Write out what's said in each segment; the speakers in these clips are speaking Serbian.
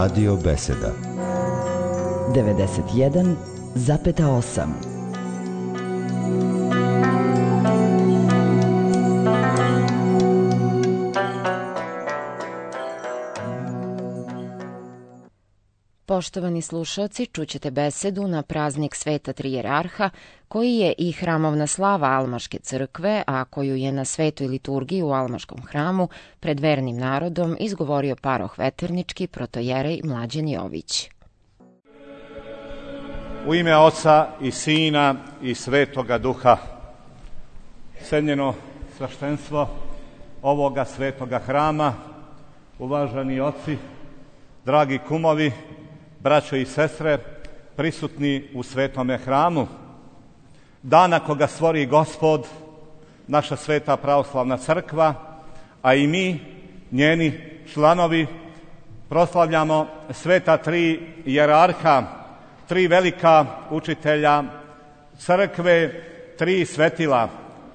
Radio Beseda 91,8. Poštovani slušaoci, čućete besedu na praznik Sveta Tri Jerarha, koji je i hramovna slava Almaške crkve, a koju je na svetoj liturgiji u Almaškom hramu pred vernim narodom izgovorio paroh Veternički protojerej Mlađan Jović. U ime Oca i Sina i Svetoga Duha, cenjeno sveštenstvo ovoga svetoga hrama, uvaženi oci, dragi kumovi, braćo i sestre, prisutni u svetome hramu, dana koga stvori Gospod, naša sveta pravoslavna crkva, a i mi, njeni članovi, proslavljamo sveta tri jerarha, tri velika učitelja crkve, tri svetila,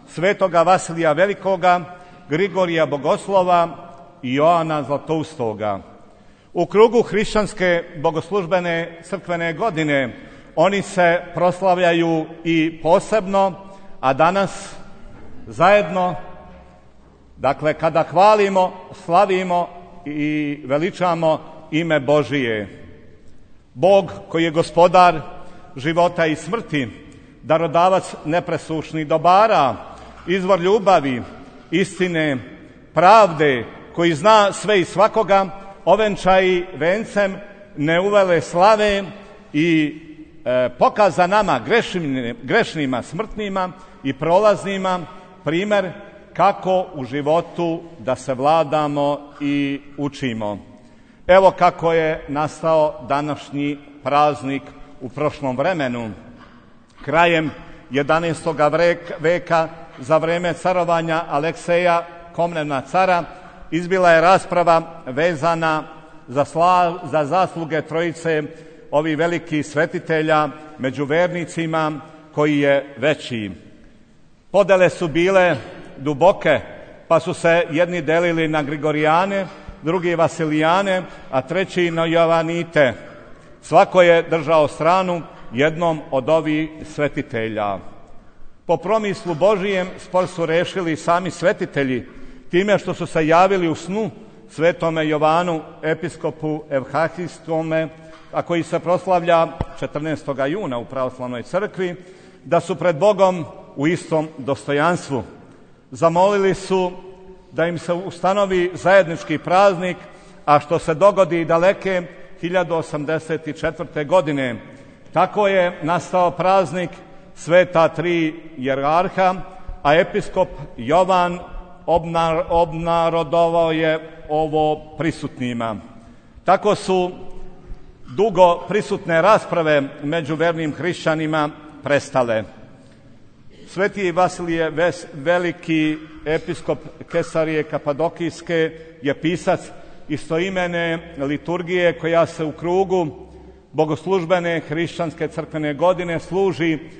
svetoga Vasilija Velikoga, Grigorija Bogoslova i Joana Zlatoustoga. U krugu hrišćanske bogoslužbene crkvene godine oni se proslavljaju i posebno, a danas zajedno, dakle kada hvalimo, slavimo i veličamo ime Božije. Bog koji je gospodar života i smrti, darodavac nepresušnih dobara, izvor ljubavi, istine, pravde, koji zna sve i svakoga, ovenčaji vencem neuvele slave i pokaza nama grešnima, smrtnima i prolaznima primer kako u životu da se vladamo i učimo. Evo kako je nastao današnji praznik u prošlom vremenu. Krajem 11. veka za vreme carovanja Alekseja Komnena cara izbila je rasprava vezana za zasluge trojice ovih velikih svetitelja među vernicima, koji je veći. Podele su bile duboke, pa su se jedni delili na Grigorijane, drugi Vasilijane, a treći na Jovanite. Svako je držao stranu jednom od ovih svetitelja. Po promislu Božijem spor su rešili sami svetitelji, time što su se javili u snu svetome Jovanu, episkopu Evhahistome, a koji se proslavlja 14. juna u pravoslavnoj crkvi, da su pred Bogom u istom dostojanstvu. Zamolili su da im se ustanovi zajednički praznik, a što se dogodi daleke 1084. godine. Tako je nastao praznik sveta tri jerarha, a episkop Jovan obnarodovao je ovo prisutnima. Tako su dugo prisutne rasprave među vernim hrišćanima prestale. Sveti Vasilije Veliki, episkop Kesarije Kapadokijske, je pisac istoimene liturgije koja se u krugu bogoslužbene hrišćanske crkvene godine služi